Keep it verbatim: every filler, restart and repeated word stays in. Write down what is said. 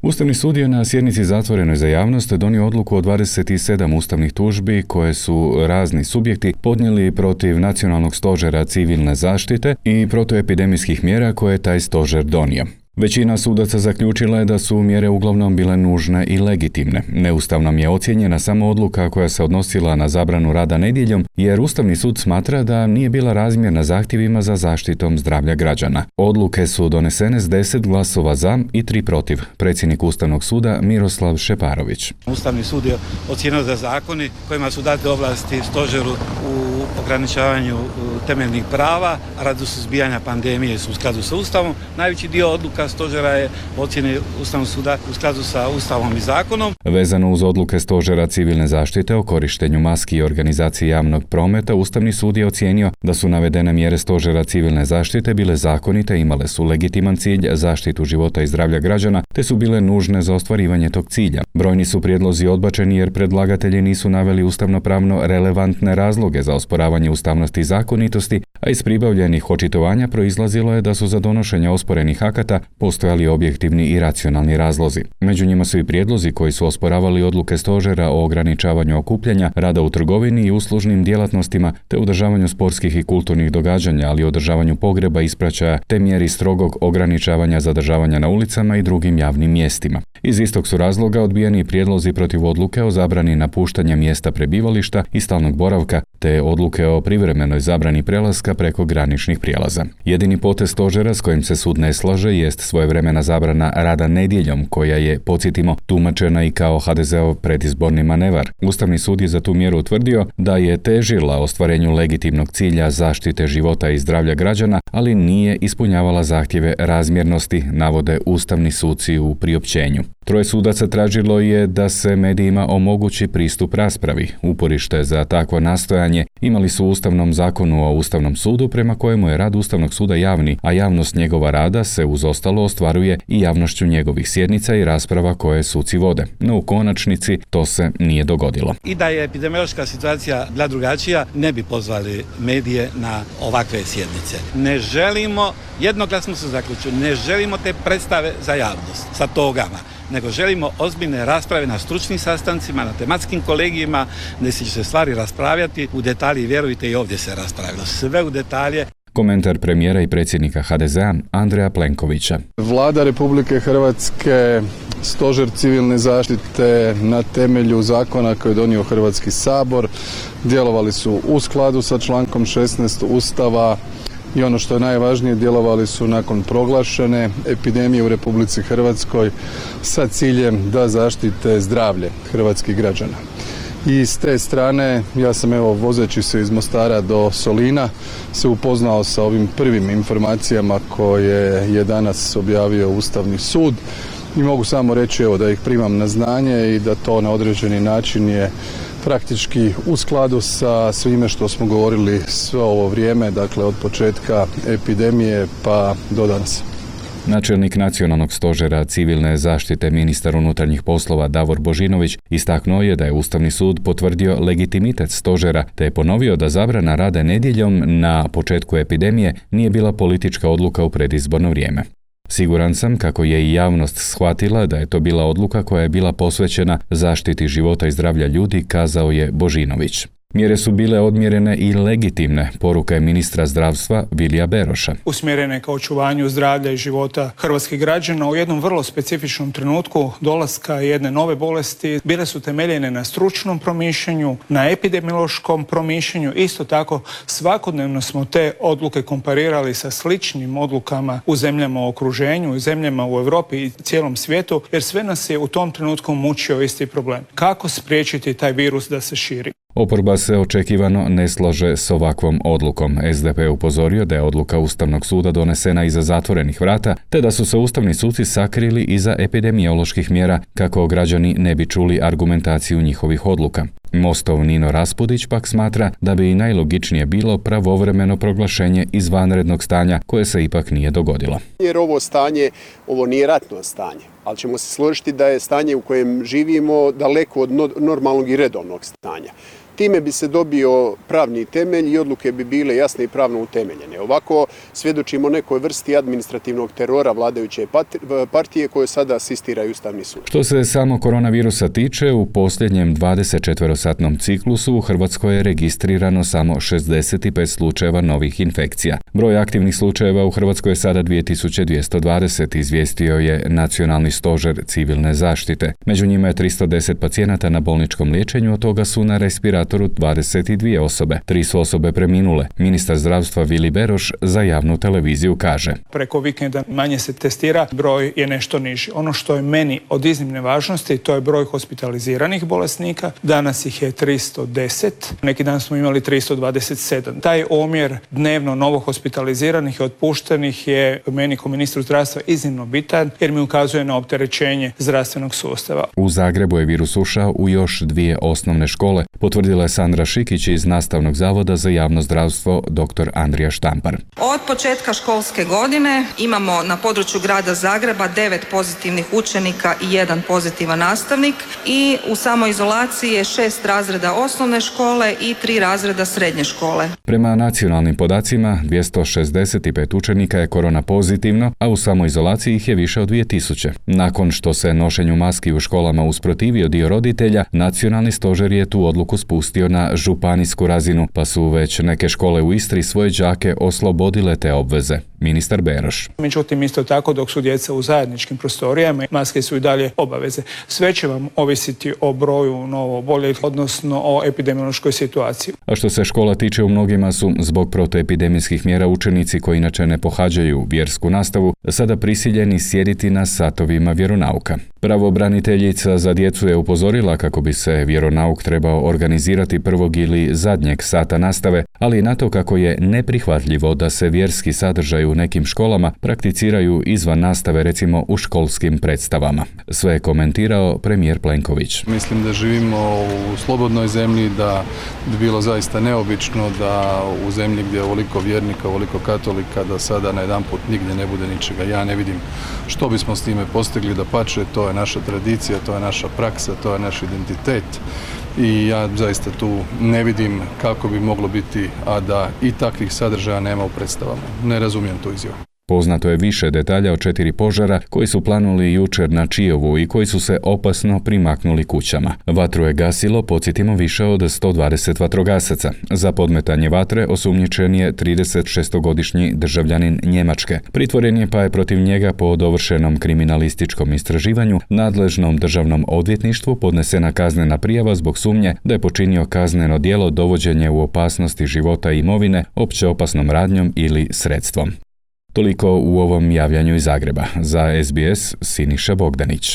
Ustavni sud je na sjednici zatvorenoj za javnost donio odluku o dvadeset sedam ustavnih tužbi koje su razni subjekti podnijeli protiv Nacionalnog stožera civilne zaštite i protuepidemijskih mjera koje je taj stožer donio. Većina sudaca zaključila je da su mjere uglavnom bile nužne i legitimne. Neustavnom je ocijenjena samo odluka koja se odnosila na zabranu rada nedjeljom, jer Ustavni sud smatra da nije bila razmjerna zahtjevima za zaštitom zdravlja građana. Odluke su donesene s deset glasova za i tri protiv. Predsjednik Ustavnog suda Miroslav Šeparović. Ustavni sud je ocijenio da zakoni kojima su date ovlasti stožeru u ograničavanju temeljnih prava radi suzbijanja pandemije su u skladu sa Ustavom. Najveći dio odluka stožera je ocjeni Ustavnog suda u skladu sa Ustavom i zakonom. Vezano uz odluke stožera civilne zaštite o korištenju maski i organizaciji javnog prometa, Ustavni sud je ocijenio da su navedene mjere stožera civilne zaštite bile zakonite, imale su legitiman cilj zaštitu života i zdravlja građana, te su bile nužne za ostvarivanje tog cilja. Brojni su prijedlozi odbačeni jer predlagatelji nisu naveli ustavnopravno relevantne razloge za osporavanje ustavnosti i zakonitosti, a iz pribavljenih očitovanja proizlazilo je da su za donošenje osporenih akata postojali objektivni i racionalni razlozi. Među njima su i prijedlozi koji su osporavali odluke stožera o ograničavanju okupljanja, rada u trgovini i uslužnim djelatnostima, te održavanju sportskih i kulturnih događanja, ali i održavanju pogreba, ispraćaja, te mjeri strogog ograničavanja zadržavanja na ulicama i drugim javnim mjestima. Iz istog su razloga odbijeni prijedlozi protiv odluke o zabrani napuštanja mjesta prebivališta i stalnog boravka, te odluke o privremenoj zabrani prelaska preko graničnih prijelaza. Jedini potez stožera s kojim se sud ne slaže jest svojevremena zabrana rada nedjeljom, koja je, podsjetimo, tumačena i kao ha de zeov predizborni manevar. Ustavni sud je za tu mjeru utvrdio da je težila ostvarenju legitimnog cilja zaštite života i zdravlja građana, ali nije ispunjavala zahtjeve razmjernosti, navode ustavni suci u priopćenju. Troje sudaca tražilo je da se medijima omogući pristup raspravi. Uporište za takvo nastojanje imali su u Ustavnom zakonu o Ustavnom sudu, prema kojemu je rad Ustavnog suda javni, a javnost njegova rada se uz ostalo ostvaruje i javnošću njegovih sjednica i rasprava koje suci vode. No u konačnici to se nije dogodilo. I da je epidemiološka situacija bila drugačija, ne bi pozvali medije na ovakve sjednice. Ne želimo, jednoglasno se zaključili, ne želimo te predstave za javnost sa togama, nego želimo ozbiljne rasprave na stručnim sastancima, na tematskim kolegijima, gdje će se stvari raspravljati u detalji, vjerujte i ovdje se raspravilo, sve u detalje. Komentar premijera i predsjednika ha de zea Andreja Plenkovića. Vlada Republike Hrvatske, Stožer civilne zaštite na temelju zakona koji je donio Hrvatski sabor djelovali su u skladu sa člankom šesnaest Ustava i ono što je najvažnije, djelovali su nakon proglašene epidemije u Republici Hrvatskoj sa ciljem da zaštite zdravlje hrvatskih građana. I s te strane, ja sam evo vozeći se iz Mostara do Solina se upoznao sa ovim prvim informacijama koje je danas objavio Ustavni sud i mogu samo reći evo da ih primam na znanje i da to na određeni način je praktički u skladu sa svime što smo govorili sve ovo vrijeme, dakle od početka epidemije pa do danas. Načelnik Nacionalnog stožera civilne zaštite, ministar unutarnjih poslova Davor Božinović, istaknuo je da je Ustavni sud potvrdio legitimitet stožera, te je ponovio da zabrana rada nedjeljom na početku epidemije nije bila politička odluka u predizborno vrijeme. Siguran sam kako je i javnost shvatila da je to bila odluka koja je bila posvećena zaštiti života i zdravlja ljudi, kazao je Božinović. Mjere su bile odmjerene i legitimne, poruka je ministra zdravstva Vilija Beroša. Usmjerene ka očuvanju zdravlja i života hrvatskih građana u jednom vrlo specifičnom trenutku dolaska jedne nove bolesti bile su temeljene na stručnom promišljanju, na epidemiološkom promišljanju. Isto tako svakodnevno smo te odluke komparirali sa sličnim odlukama u zemljama u okruženju, u zemljama u Europi i cijelom svijetu, jer sve nas je u tom trenutku mučio isti problem. Kako spriječiti taj virus da se širi? Oporba se očekivano ne slaže s ovakvom odlukom. es de pe je upozorio da je odluka Ustavnog suda donesena iza zatvorenih vrata, te da su se ustavni suci sakrili iza epidemioloških mjera kako građani ne bi čuli argumentaciju njihovih odluka. Mostov Nino Raspudić pak smatra da bi i najlogičnije bilo pravovremeno proglašenje izvanrednog stanja koje se ipak nije dogodilo. Jer ovo stanje, ovo nije ratno stanje, ali ćemo se složiti da je stanje u kojem živimo daleko od normalnog i redovnog stanja. Time bi se dobio pravni temelj i odluke bi bile jasne i pravno utemeljene. Ovako svjedočimo nekoj vrsti administrativnog terora vladajuće partije koje sada asistiraju Ustavni sud. Što se samo koronavirusa tiče, u posljednjem dvadesetčetverosatnom ciklusu u Hrvatskoj je registrirano samo šezdeset pet slučajeva novih infekcija. Broj aktivnih slučajeva u Hrvatskoj je sada dvije tisuće dvjesto dvadeset, izvijestio je Nacionalni stožer civilne zaštite. Među njima je tristo deset pacijenata na bolničkom liječenju, od toga su na respiratoru dvadeset dvije osobe. Tri su osobe preminule. Ministar zdravstva Vili Beroš za javnu televiziju kaže: Preko vikenda manje se testira, broj je nešto niži. Ono što je meni od iznimne važnosti, to je broj hospitaliziranih bolesnika. Danas ih je tristo deset, neki dan smo imali tristo dvadeset sedam. Taj omjer dnevno novo hospitaliziranih i otpuštenih je meni kao ministru zdravstva iznimno bitan jer mi ukazuje na opterećenje zdravstvenog sustava. U Zagrebu je virus ušao u još dvije osnovne škole, potvrdila je Sandra Šikić iz Nastavnog zavoda za javno zdravstvo dr. Andrija Štampar. Od početka školske godine imamo na području grada Zagreba devet pozitivnih učenika i jedan pozitivan nastavnik i u samoizolaciji je šest razreda osnovne škole i tri razreda srednje škole. Prema nacionalnim podacima, dvjesto šezdeset pet učenika je korona pozitivno, a u samoizolaciji ih je više od dvije tisuće. Nakon što se nošenju maski u školama usprotivio dio roditelja, Nacionalni stožer je tu odluku spustio na županijsku razinu, pa su već neke škole u Istri svoje đake oslobodile te obveze. Ministar Beroš. Međutim, isto tako dok su djeca u zajedničkim prostorijama, maske su i dalje obaveze. Sve će vam ovisiti o broju novo oboljelih, odnosno o epidemiološkoj situaciji. A što se škola tiče, u mnogima su zbog protuepidemijskih mjera učenici koji inače ne pohađaju vjersku nastavu sada prisiljeni sjediti na satovima vjeronauka. Pravobraniteljica za djecu je upozorila kako bi se vjeronauk trebao organizirati prvog ili zadnjeg sata nastave, ali i na to kako je neprihvatljivo da se vjerski sadržaj u nekim školama prakticiraju izvan nastave, recimo u školskim predstavama. Sve je komentirao premijer Plenković. Mislim da živimo u slobodnoj zemlji, da bi bilo zaista neobično da u zemlji gdje je ovoliko vjernika, ovoliko katolika, da sada najedanput nigdje ne bude ničega. Ja ne vidim što bismo s time postigli, da pače, to je naša tradicija, to je naša praksa, to je naš identitet. I ja zaista tu ne vidim kako bi moglo biti, a da i takvih sadržaja nema u predstavama. Ne razumijem tu izjavu. Poznato je više detalja o četiri požara koji su planuli jučer na Čijovu i koji su se opasno primaknuli kućama. Vatru je gasilo, podsjetimo, više od sto dvadeset vatrogasaca. Za podmetanje vatre osumnjičen je tridesetšestogodišnji državljanin Njemačke. Pritvoren je, pa je protiv njega po dovršenom kriminalističkom istraživanju nadležnom državnom odvjetništvu podnesena kaznena prijava zbog sumnje da je počinio kazneno djelo dovođenje u opasnosti života i imovine opće opasnom radnjom ili sredstvom. Toliko u ovom javljanju iz Zagreba. Za S B S Siniša Bogdanić.